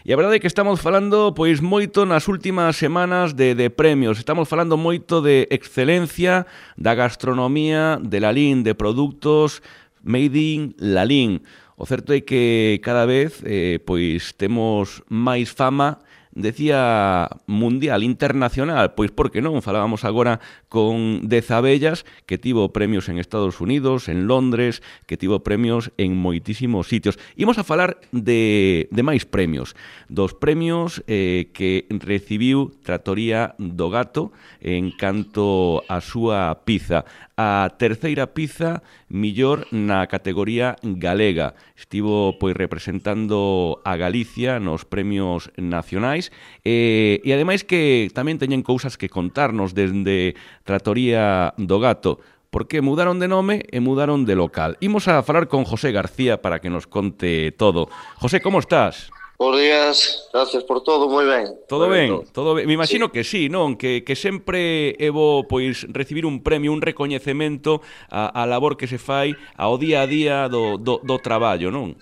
E a verdade é que estamos falando pois moito nas últimas semanas de premios. Estamos falando moito de excelencia, da gastronomía, de Lalín, de produtos made in Lalín. O certo é que cada vez pois temos máis fama, decía mundial, internacional, pois por que non? Falábamos agora con Dezabellas, que tivo premios en Estados Unidos, en Londres, que tivo premios en moitísimos sitios. Imos a falar de máis premios, dos premios que recibiu Trattoria do Gato en canto a súa pizza. A terceira pizza millor na categoría galega. Estivo pois representando a Galicia nos premios nacionais e ademais que tamén teñen cousas que contarnos desde Trattoria do Gato, porque mudaron de nome e mudaron de local. Imos a falar con José García para que nos conte todo. José, como estás? Bos días, gracias por todo, moi ben. Todo ben, todo ben. Me imagino que sí, non? Que sempre é bo pois recibir un premio, un recoñecemento a labor que se fai ao día a día do traballo, non?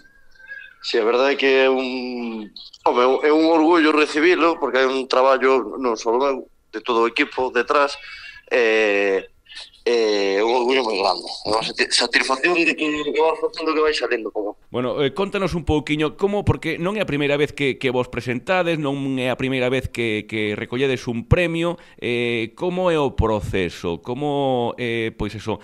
Si, a verdade é que é un orgullo recibilo, porque hai un traballo non só meu, de todo o equipo detrás, un orgullo moi grande. É unha satisfacción de que vas facendo que vai salindo como. Bueno, contanos un pouquiño como, porque non é a primeira vez que vos presentades, non é a primeira vez que recolledes un premio, como é o proceso, como pois eso,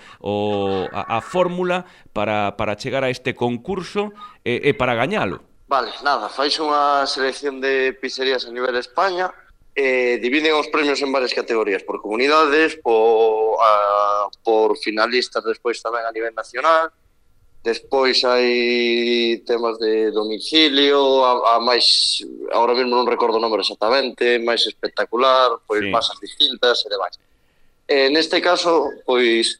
a fórmula para chegar a este concurso e para gañalo. Vale, nada, faixe unha selección de pizzerías a nivel de España, dividen os premios en varias categorías, por comunidades, por finalistas despois tamén a nivel nacional. Despois hai temas de domicilio, a máis, agora mesmo non recordo o número exactamente, máis espectacular, pois sí, masas distintas e demais. Neste caso, pois,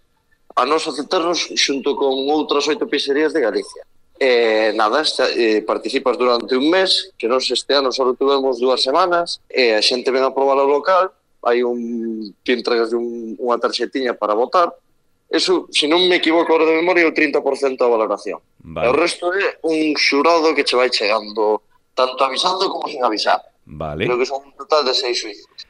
a nos aceptarnos xunto con outras 8 pizzerías de Galicia. Nada, participas durante un mes, que nos este ano só tuvemos 2 semanas, e a xente ven a probar o local, hai que entregas unha tarxetiña para votar. Eso, se non me equivoco ahora de memoria, é o 30% da valoración. Vale. O resto é un xurado que che vai chegando, tanto avisando como sin avisar. Vale. Creo que son un total de 6 suíços.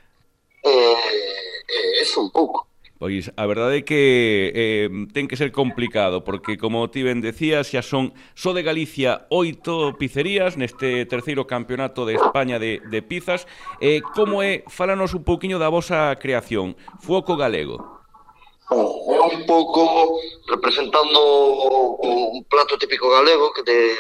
Eso un pouco. Pois a verdade é que ten que ser complicado, porque como ti ben decías, xa son só de Galicia 8 pizzerías neste terceiro campeonato de España de pizzas. Como é? Fálanos un pouquiño da vosa creación, Fuoco Galego. É un pouco representando un plato típico galego de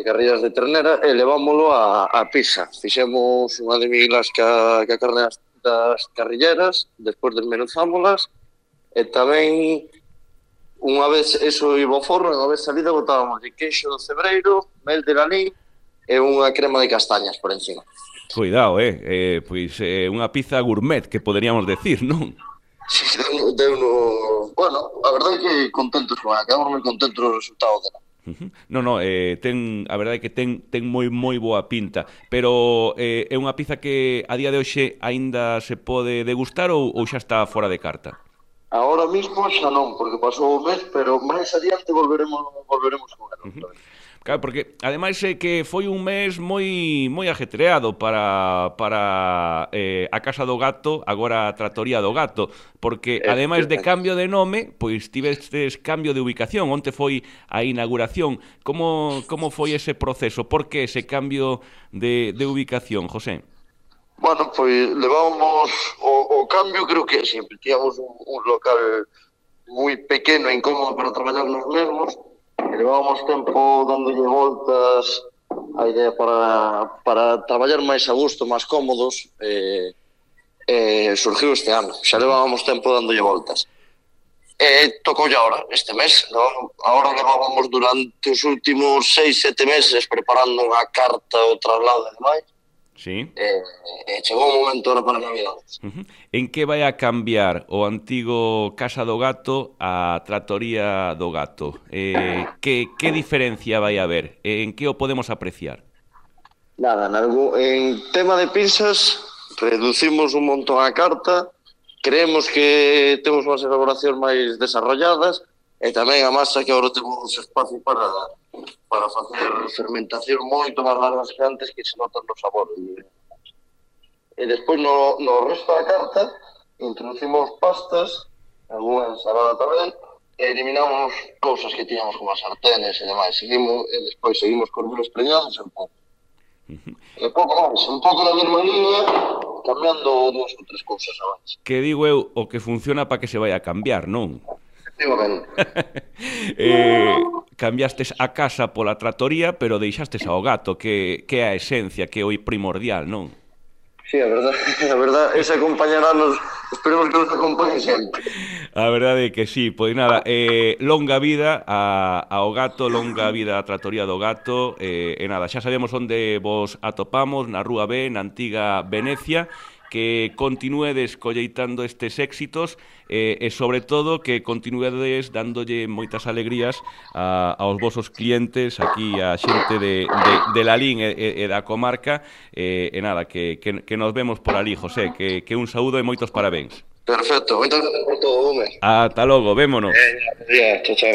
carrilleras de ternera, e levámoslo a pizza. Fixemos unha de milas ca carne das carrilleras, despois desmenuzámolas, e tamén unha vez eso iba ao forno, unha vez salida botábamos de queixo do cebreiro, mel de Lalín e unha crema de castañas por encima. Cuidado, pois unha pizza gourmet, que poderíamos decir, non? Sí, bueno, a verdade é que contentos con ela, quedamos moi contentos do resultado dela. Non, a verdade é que ten moi boa pinta, pero é unha pizza que a día de hoxe aínda se pode degustar ou xa está fora de carta? Ahora mismo xa non, porque pasou o mes, pero máis adiante volveremos con ela. Claro, porque ademais é que foi un mes moi ajetreado para a Casa do Gato, agora a Trattoria do Gato, porque ademais de cambio de nome, pois tivestes cambio de ubicación. Onte foi a inauguración. Como foi ese proceso? Por que ese cambio de ubicación, José? Bueno, pois levábamos o cambio, creo que sempre tíamos un local moi pequeno e incómodo para traballar nos mesmos. Levábamos tempo dándolle voltas a idea para traballar máis a gusto, máis cómodos, surgiu este ano. Xa levábamos tempo dándolle voltas. Tocoulle agora, este mes, non? Agora levábamos durante os últimos 6-7 meses preparando unha carta, o traslado e demais. Sí. Chegou o momento ahora para Navidades. En que vai a cambiar o antigo Casa do Gato a Trattoria do Gato? Que diferencia vai haber? En que o podemos apreciar? Nada, en tema de pizzas reducimos un montón a carta, creemos que temos unhas elaboracións máis desarrolladas, E tamén a masa que agora temos espacio para facer fermentación moito máis largas que antes, que se notan no sabor. E despois no resto da carta introducimos pastas, algunha ensalada tamén, e eliminamos cousas que tiñamos como as sartenes e demais. Despois seguimos con duros preñados e un pouco. E pouco máis, un pouco na mesma línea, cambiando 2 ou 3 cousas a máis. Que digo eu, o que funciona para que se vai a cambiar, non? Cambiastes a casa pola tratoría, pero deixastes ao gato, que é a esencia, que é o primordial, non? Sí, a verdad, ese acompañará-nos, esperemos que nos acompañe sempre. A verdade é que sí, pois nada, longa vida ao gato, longa vida a tratoría do gato, e nada, xa sabemos onde vos atopamos, na Rúa B, na antiga Venecia, que continuedes colleitando estes éxitos e sobre todo que continuedes dándolle moitas alegrías aos vosos clientes aquí, a xente de Lalín e da comarca, e nada, que nos vemos por ali, José, que un saúdo e moitos parabéns. Perfecto, moitas gracias por todo, home. Ata logo, vémonos. Chao, chao.